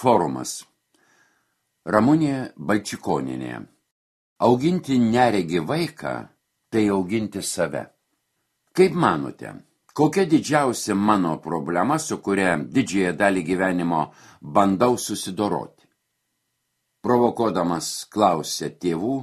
Forumas. Ramunė Balčikonienė. Auginti neregį vaiką – tai auginti save. Kaip manote, kokia didžiausia mano problema, su kuria didžiąją dalį gyvenimo bandau susidoroti? Provokuodamas klausė tėvų,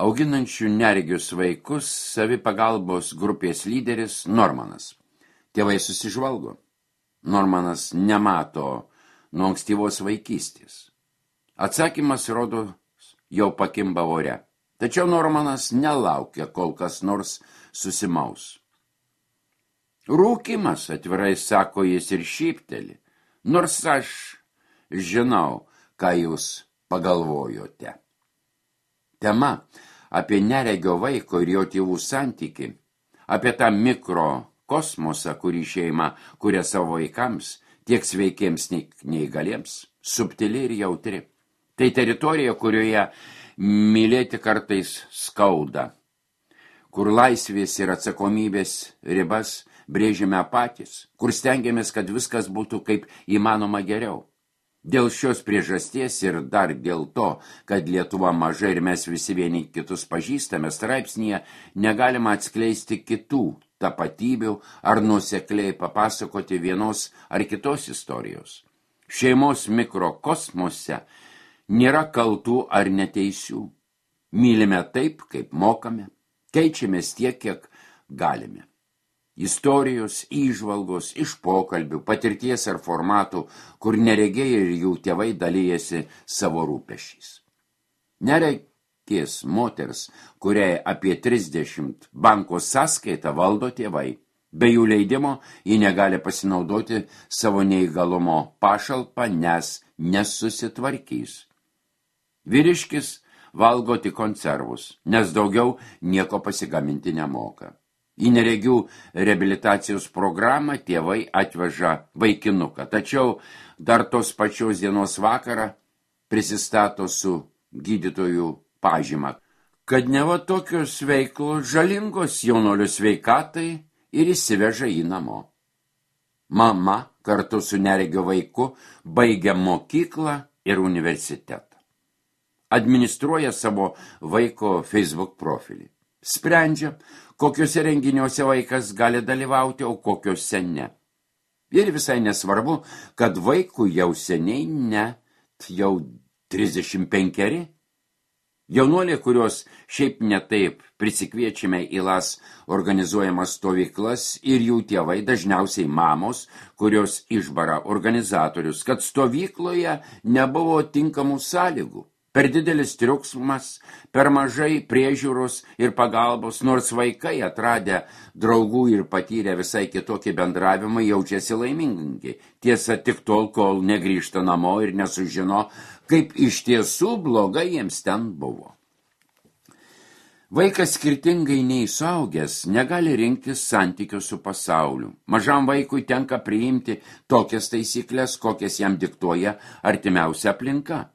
auginančių neregius vaikus, savipagalbos grupės lyderis Normanas. Tėvai susižvalgo. Normanas nemato nuo ankstyvos vaikystės. Atsakymas, rodo, jau pakimba ore. Tačiau Normanas nelaukia, kol kas nors susimaus. Rūkymas, atvirai sako jis ir šypteli, nors aš žinau, ką jūs pagalvojote. Tema apie neregio vaiko ir jo tėvų santykį, apie tą mikrokosmosą, kurį šeima kuria savo vaikams, tiek sveikiems, tiek neįgaliems, subtili ir jautri. Tai teritorija, kurioje mylėti kartais skauda, kur laisvės ir atsakomybės ribas brėžime patys, kur stengiamės, kad viskas būtų kaip įmanoma geriau. Dėl šios priežasties ir dar dėl to, kad Lietuva maža ir mes visi vieni kitus pažįstame, straipsnyje negalima atskleisti kitų tapatybių ar nuosekliai papasakoti vienos ar kitos istorijos. Šeimos mikrokosmose nėra kaltų ar neteisių. Mylime taip, kaip mokame, keičiamės tiek, kiek galime. Istorijos, įžvalgos, iš pokalbių, patirties ar formatų, kur neregiai ir jų tėvai dalyjasi savo rūpesčiais. Neregės moters, kuriai apie 30 banko sąskaitą valdo tėvai. Be jų leidimo ji negali pasinaudoti savo neįgalumo pašalpą, nes nesusitvarkys. Vyriškis valgo tik konservus, nes daugiau nieko pasigaminti nemoka. Į neregių reabilitacijos programą tėvai atveža vaikinuką, tačiau dar tos pačios dienos vakarą prisistato su gydytojų pažyma, kad neva tokios veiklos žalingos jaunuolio sveikatai ir įsiveža jį namo. Mama kartu su neregio vaiku baigia mokyklą ir universitetą. Administruoja savo vaiko Facebook profilį. Sprendžia, kokiuose renginiuose vaikas gali dalyvauti, o kokiuose ne. Ir visai nesvarbu, kad vaikui jau seniai net jau 35. Jaunuoliai, kurios šiaip netaip prisikviečiame į LAS organizuojamas stovyklas ir jų tėvai, dažniausiai mamos, kurios išbara organizatorius, kad stovykloje nebuvo tinkamų sąlygų. Per didelis triukšmas, per mažai priežiūros ir pagalbos, nors vaikai atradę draugų ir patyrę visai kitokį bendravimą jaučiasi laimingi. Tiesa, tik tol, kol negrįžta namo ir nesužino, kaip iš tiesų blogai jiems ten buvo. Vaikas skirtingai nei suaugęs negali rinktis santykių su pasauliu. Mažam vaikui tenka priimti tokias taisyklės, kokias jam diktuoja artimiausia aplinka.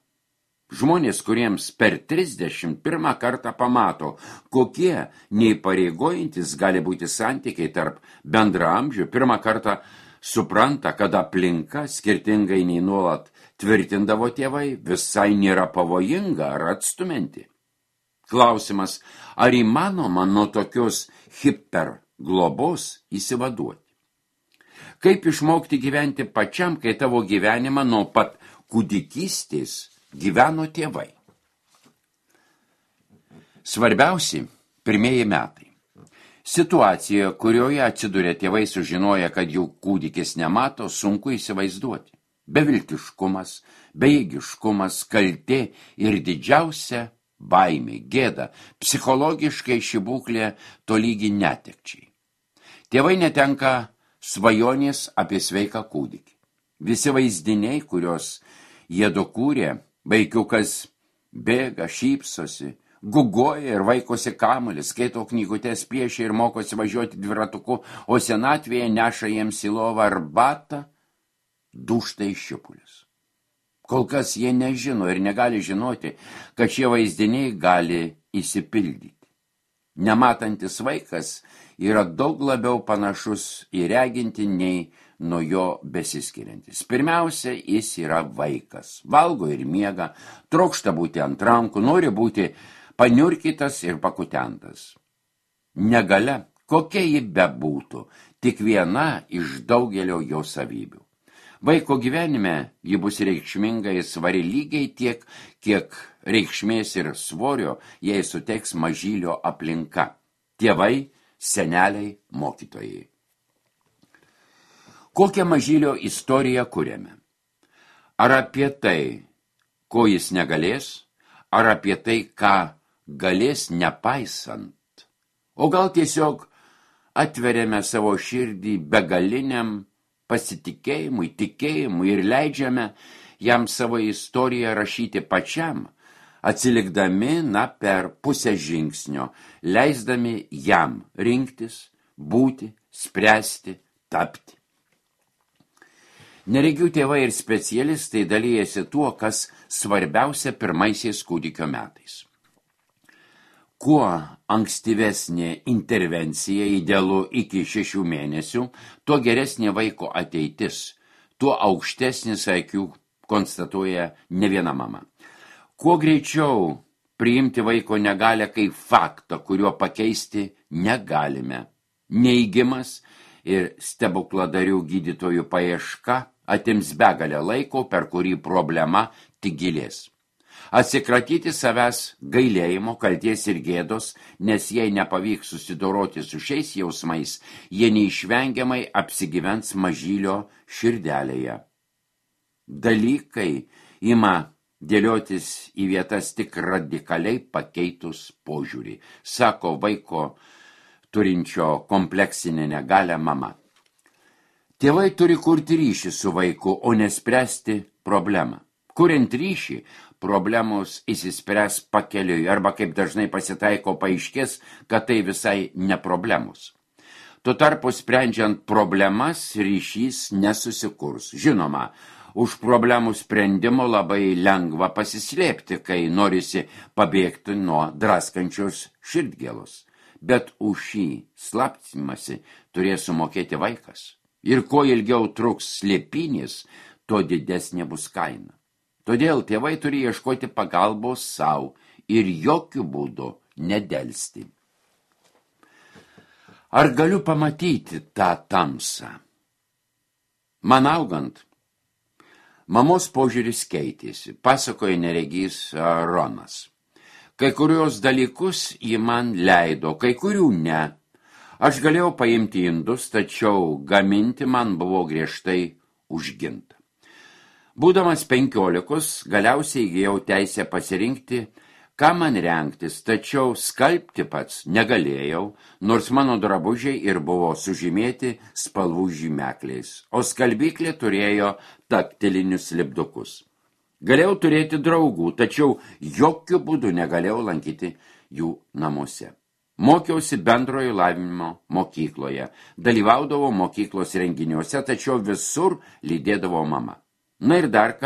Žmonės, kuriems per 31 kartą pamato, kokie neįpareigojantis gali būti santykiai tarp bendraamžių, pirmą kartą supranta, kad aplinka, skirtingai nei nuolat tvirtindavo tėvai, visai nėra pavojinga ar atstumianti. Klausimas, ar įmanoma nuo tokios hiperglobos įsivaduoti? Kaip išmokti gyventi pačiam, kai tavo gyvenimą nuo pat kūdikystės gyveno tėvai? Svarbiausi pirmieji metai. Situacija, kurioje atsiduria tėvai sužinoja, kad jų kūdikis nemato, sunku įsivaizduoti. Beviltiškumas, bejėgiškumas, kaltė ir didžiausia baimė, gėda, psichologiškai ši būklė tolygi netekčiai. Tėvai netenka svajonės apie sveiką kūdikį. Visi vaizdiniai, kurios jie dokūrė, vaikiukas bėga, šypsosi, gugoja ir vaikosi kamuolį, skaito knygutes, piešia ir mokosi važiuoti dviratuku, o senatvėje neša jiems į lovą arbatą, dūžta į šipulius. Kol kas jie nežino ir negali žinoti, kad šie vaizdiniai gali įsipildyti. Nematantis vaikas yra daug labiau panašus į regintį nei nuo jo besiskiriantis. Pirmiausia, jis yra vaikas. Valgo ir miega, trokšta būti ant rankų, nori būti paniurkytas ir pakutentas. Negalia, kokia ji bebūtų, tik viena iš daugelio jo savybių. Vaiko gyvenime ji bus reikšminga ir svari lygiai tiek, kiek reikšmės ir svorio jai suteiks mažylio aplinka. Tėvai, seneliai, mokytojai. Kokią mažylio istoriją kuriame? Ar apie tai, ko jis negalės, ar apie tai, ką galės nepaisant? O gal tiesiog atveriame savo širdį begaliniam pasitikėjimui, tikėjimui ir leidžiame jam savo istoriją rašyti pačiam, atsilikdami per pusę žingsnio, leisdami jam rinktis, būti, spręsti, tapti. Neregių tėvai ir specialistai dalyjasi tuo, kas svarbiausia pirmaisiais kūdikio metais. Kuo ankstyvesnė intervencija, idealu iki 6 mėnesių, tuo geresnė vaiko ateitis, tuo aukštesnis IQ, konstatuoja ne viena mama. Kuo greičiau priimti vaiko negalę kaip faktą, kuriuo pakeisti negalime. Neigimas ir stebukladarių gydytojų paieška atims begalę laiko, per kurį problema tik gilės. Atsikratyti savęs gailėjimo, kalties ir gėdos, nes jei nepavyks susidoroti su šiais jausmais, jie neišvengiamai apsigyvens mažylio širdelėje. Dalykai ima dėliotis į vietas tik radikaliai pakeitus požiūrį, sako vaiko turinčio kompleksinę negalią mama. Tėvai turi kurti ryšį su vaiku, o nespręsti problemą. Kuriant ryšį, problemos įsispręs pakeliui arba, kaip dažnai pasitaiko, paaiškės, kad tai visai ne problemos. Tuo tarpu sprendžiant problemas, ryšys nesusikurs. Žinoma, už problemų sprendimo labai lengva pasislėpti, kai norisi pabėgti nuo draskančios širdgėlos. Bet už šį slaptimąsi turės sumokėti vaikas. Ir kuo ilgiau truks slėpinys, tuo didesnė bus kaina. Todėl tėvai turi ieškoti pagalbos savo ir jokių būdų nedelsti. Ar galiu pamatyti tą tamsą? Man augant, mamos požiūris keitėsi, pasakoja neregys Ronas. Kai kurios dalykus ji man leido, kai kurių ne. Aš galėjau paimti indus, tačiau gaminti man buvo griežtai užginta. Būdamas 15, galiausiai įgijau teisę pasirinkti, ką man rengtis, tačiau skalbti pats negalėjau, nors mano drabužiai ir buvo sužymėti spalvų žymekliais, o skalbyklė turėjo taktilinius lipdukus. Galėjau turėti draugų, tačiau jokių būdų negalėjau lankyti jų namuose. Mokiausi bendrojo lavinimo mokykloje, dalyvaudavau mokyklos renginiuose, tačiau visur lydėdavo mama. Na ir dar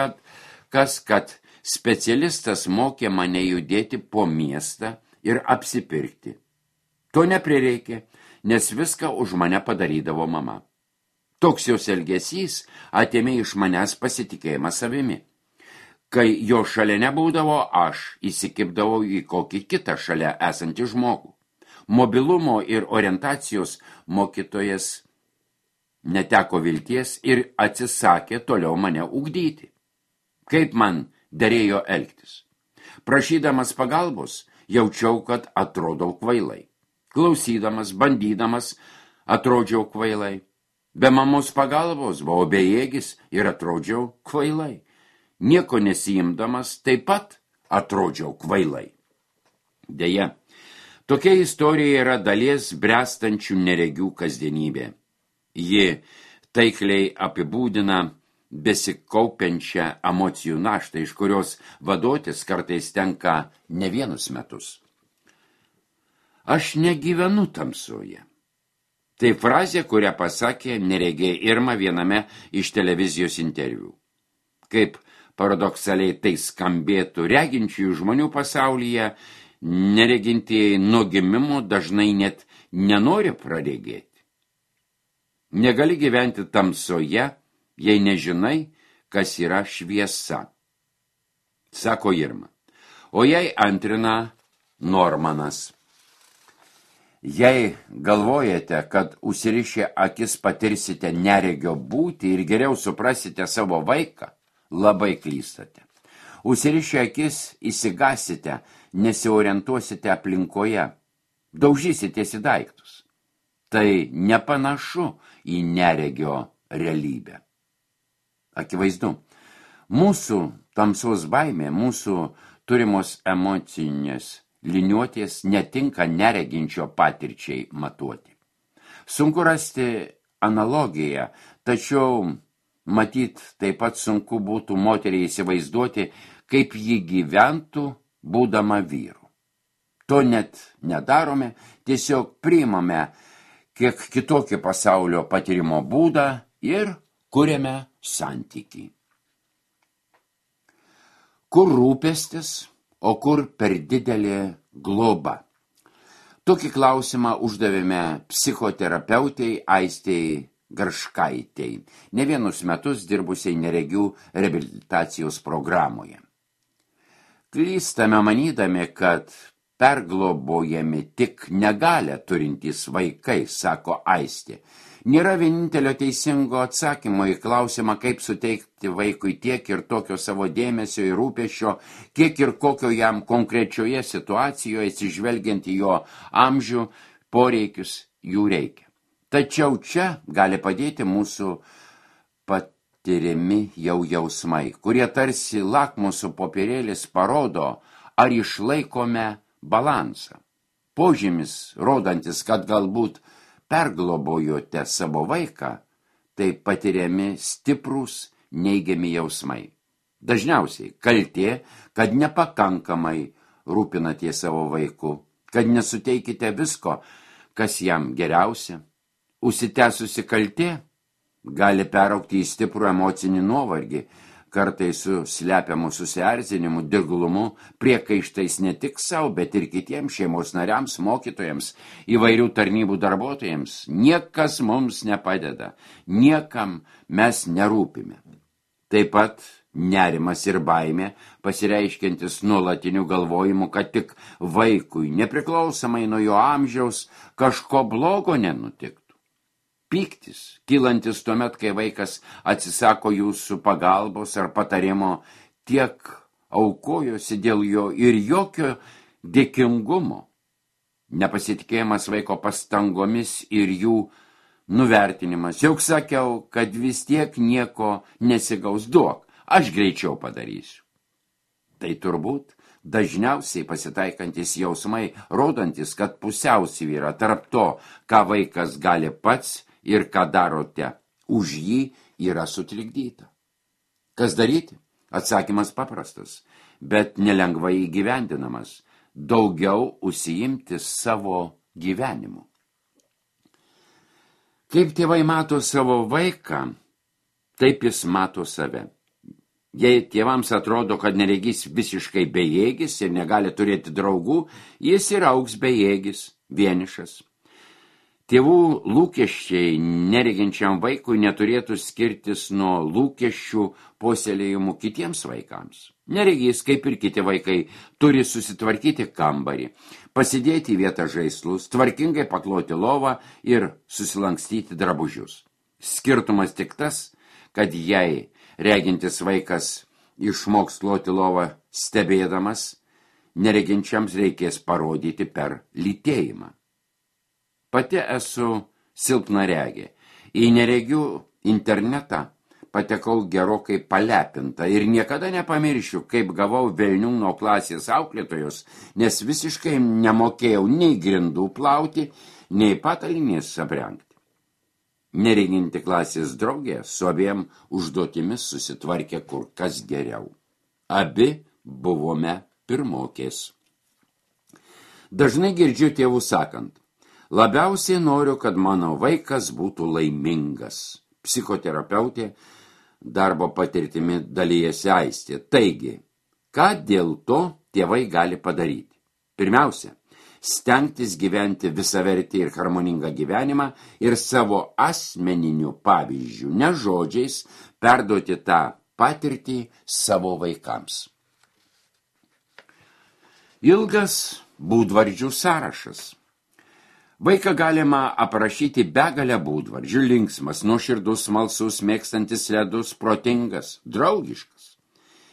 kad specialistas mokė mane judėti po miestą ir apsipirkti. To neprireikė, nes viską už mane padarydavo mama. Toks jos elgesys atėmė iš manęs pasitikėjimą savimi. Kai jo šalia nebūdavo, aš įsikibdavau į kokį kitą šalia esantį žmogų. Mobilumo ir orientacijos mokytojas neteko vilties ir atsisakė toliau mane ugdyti. Kaip man derėjo elgtis? Prašydamas pagalbos, jaučiau, kad atrodau kvailai. Klausydamas, bandydamas, atrodžiau kvailai. Be mamos pagalbos buvau bejėgis ir atrodžiau kvailai. Nieko nesiimdamas, taip pat atrodžiau kvailai. Deja, tokia istorija yra dalies bręstančių neregių kasdienybė. Ji taikliai apibūdina besikaupiančią emocijų naštą, iš kurios vaduotis kartais tenka ne vienus metus. Aš negyvenu tamsoje. Tai frazė, kurią pasakė neregė Irma viename iš televizijos interviu. Kaip paradoksaliai tai skambėtų, reginčiųjų žmonių pasaulyje Neregintieji nuo gimimo dažnai net nenori praregėti. Negali gyventi tamsoje, jei nežinai, kas yra šviesa, sako Irma. O jai antrina Normanas. Jei galvojate, kad užsirišę akis patirsite neregio būtį ir geriau suprasite savo vaiką, labai klystate. Užsirišę akis įsigasite, nesiorientuosite aplinkoje, daužysitės į daiktus. Tai nepanašu į neregio realybę. Akivaizdu, mūsų tamsos baimė, mūsų turimos emocinės liniuotės netinka nereginčio patirčiai matuoti. Sunku rasti analogiją, tačiau matyt taip pat sunku būtų moteriai įsivaizduoti, kaip ji gyventų būdama vyru. To net nedarome, tiesiog priimame kiek kitokį pasaulio patyrimo būdą ir kuriame santykį. Kur rūpestis, o kur per didelė globa? Tokį klausimą uždavėme psichoterapeutei Aistei Garškaitei, ne vienus metus dirbusiai neregių reabilitacijos programoje. Klystame manydami, kad perglobojami tik negalią turintys vaikai, sako Aistė. Nėra vienintelio teisingo atsakymo į klausimą, kaip suteikti vaikui tiek ir tokio savo dėmesio ir rūpesčio, kiek ir kokio jam konkrečioje situacijoje, atsižvelgiant į jo amžių, poreikius, jų reikia. Tačiau čia gali padėti mūsų patiriami jausmai, kurie tarsi lakmuso popierėlis parodo, ar išlaikome balansą. Požymis, rodantis, kad galbūt perglobojote savo vaiką, tai patiriami stiprūs neigiami jausmai. Dažniausiai kaltė, kad nepakankamai rūpinate savo vaiku, kad nesuteikite visko, kas jam geriausia. Užsitęsusi kaltė gali peraugti į stiprų emocinį nuovargį, kartais su slepiamu susierzinimu, dirglumu, priekaištais ne tik savo, bet ir kitiems šeimos nariams, mokytojams, įvairių tarnybų darbuotojams. Niekas mums nepadeda, niekam mes nerūpime. Taip pat nerimas ir baimė, pasireiškiantis nuolatiniu galvojimu, kad tik vaikui, nepriklausomai nuo jo amžiaus, kažko blogo nenutiktų. Pyktis, kylantis tuomet, kai vaikas atsisako jūsų pagalbos ar patarimo, tiek aukojosi dėl jo ir jokio dėkingumo. Nepasitikėjimas vaiko pastangomis ir jų nuvertinimas. Juk sakiau, kad vis tiek nieko nesigaus, duok, aš greičiau padarysiu. Tai turbūt dažniausiai pasitaikantis jausmai, rodantis, kad pusiausvyra tarp to, ką vaikas gali pats ir ką darote už jį, yra sutrikdyta. Kas daryti? Atsakymas paprastas, bet nelengvai įgyvendinamas. Daugiau užsiimti savo gyvenimu. Kaip tėvai mato savo vaiką, taip jis mato save. Jei tėvams atrodo, kad neregys visiškai bejėgis ir negali turėti draugų, jis ir augs bejėgis, vienišas. Tėvų lūkesčiai nereginčiam vaikui neturėtų skirtis nuo lūkesčių puoselėjimų kitiems vaikams. Neregys, kaip ir kiti vaikai, turi susitvarkyti kambarį, pasidėti į vietą žaislus, tvarkingai pakloti lovą ir susilankstyti drabužius. Skirtumas tik tas, kad jei regintis vaikas išmoks kloti lovą stebėdamas, nereginčiams reikės parodyti per lytėjimą. Pati esu silpnaregė. Į neregių internetą patekau gerokai palepinta ir niekada nepamiršiu, kaip gavau velnių nuo klasės auklėtojos, nes visiškai nemokėjau nei grindų plauti, nei patalinės aprengti. Nereginti klasės draugė su abiem užduotimis susitvarkė kur kas geriau. Abi buvome pirmokės. Dažnai girdžiu tėvų sakant, labiausiai noriu, kad mano vaikas būtų laimingas. Psichoterapeutė darbo patirtimi dalijasi Aistė. Taigi, ką dėl to tėvai gali padaryti? Pirmiausia, stengtis gyventi visavertį ir harmoningą gyvenimą ir savo asmeniniu pavyzdžiu, ne žodžiais, perduoti tą patirtį savo vaikams. Ilgas būdvardžių sąrašas. Vaiką galima aprašyti begalę būdvardžių: linksmas, nuoširdus, smalsus, mėgstantis ledus, protingas, draugiškas.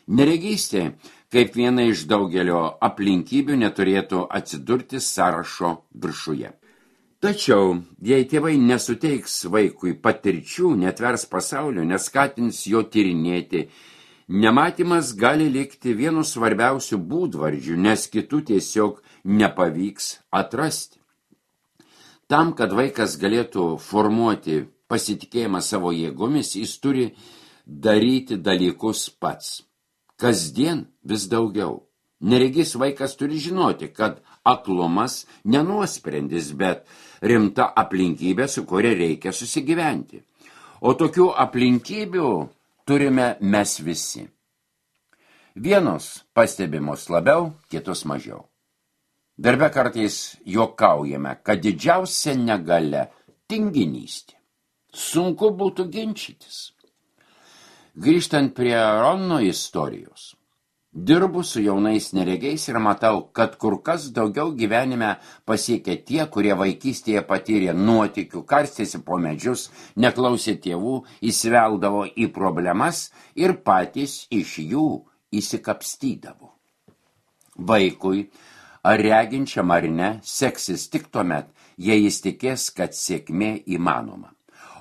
Neregystė, kaip viena iš daugelio aplinkybių, neturėtų atsidurti sąrašo viršuje. Tačiau, jei tėvai nesuteiks vaikui patirčių, netvers pasaulio, neskatins jo tyrinėti, nematymas gali likti vienu svarbiausių būdvardžių, nes kitų tiesiog nepavyks atrasti. Tam, kad vaikas galėtų formuoti pasitikėjimą savo jėgomis, jis turi daryti dalykus pats. Kasdien vis daugiau. Neregys vaikas turi žinoti, kad aklumas nenuosprendis, bet rimta aplinkybė, su kuria reikia susigyventi. O tokių aplinkybių turime mes visi. Vienos pastebimos labiau, kitos mažiau. Darbe kartais juokaujame, kad didžiausia negalia – tinginystė. Sunku būtų ginčytis. Grįžtant prie Rono istorijos, dirbu su jaunais neregiais ir matau, kad kur kas daugiau gyvenime pasiekė tie, kurie vaikystėje patyrė nuotykių, karstėsi po medžius, neklausė tėvų, įsiveldavo į problemas ir patys iš jų įsikapstydavo. Vaikui, ar reginčiam ar ne, seksis tik tuomet, jei jis tikės, kad sėkmė įmanoma.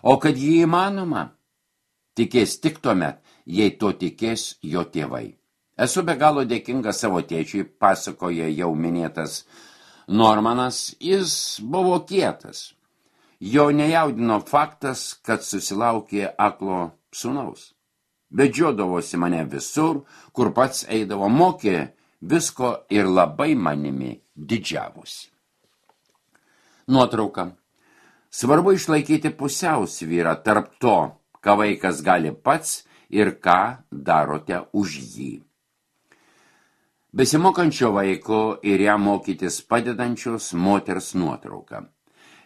O kad jį įmanoma, tikės tik tuomet, jei to tikės jo tėvai. Esu be galo dėkinga savo tėčiui, pasakoja jau minėtas Normanas, jis buvo kietas. Jo nejaudino faktas, kad susilaukė aklo sūnaus. Vedžiodavosi mane visur, kur pats eidavo, mokė visko ir labai manimi didžiavosi. Nuotrauka. Svarbu išlaikyti pusiausvyrą tarp to, ką vaikas gali pats ir ką darote už jį. Besimokančio vaiko ir ją mokytis padedančios moters nuotrauka.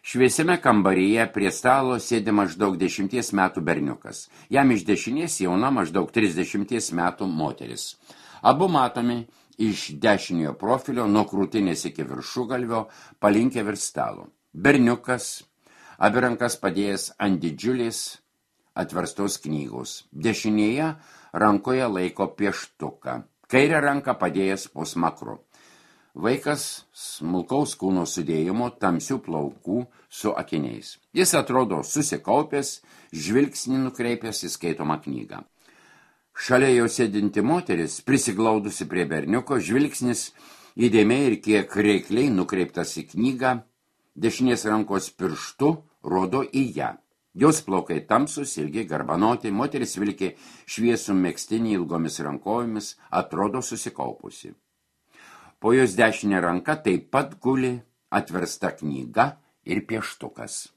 Šviesiame kambaryje prie stalo sėdi maždaug 10 metų berniukas. Jam iš dešinės jauna maždaug 30 metų moteris. Abu matomi iš dešiniojo profilio nuo krūtinės iki viršugalvio palinkę virš stalo. Berniukas, abi rankas padėjęs ant didžiulės atverstos knygos. Dešinėje rankoje laiko pieštuką, kairę ranką padėjęs po smakru. Vaikas smulkaus kūno sudėjimo, tamsių plaukų su akiniais. Jis atrodo susikaupęs, žvilgsnį nukreipęs į skaitomą knygą. Šalia jo sėdinti moteris, prisiglaudusi prie berniuko, žvilgsnis įdėmiai ir kiek reikliai nukreiptas į knygą, dešinės rankos pirštu rodo į ją. Jos plaukai tamsus, ilgi, garbanoti, moteris vilki šviesų megztinį ilgomis rankojomis, atrodo susikaupusi. Po jos dešinė ranka taip pat guli atversta knyga ir pieštukas.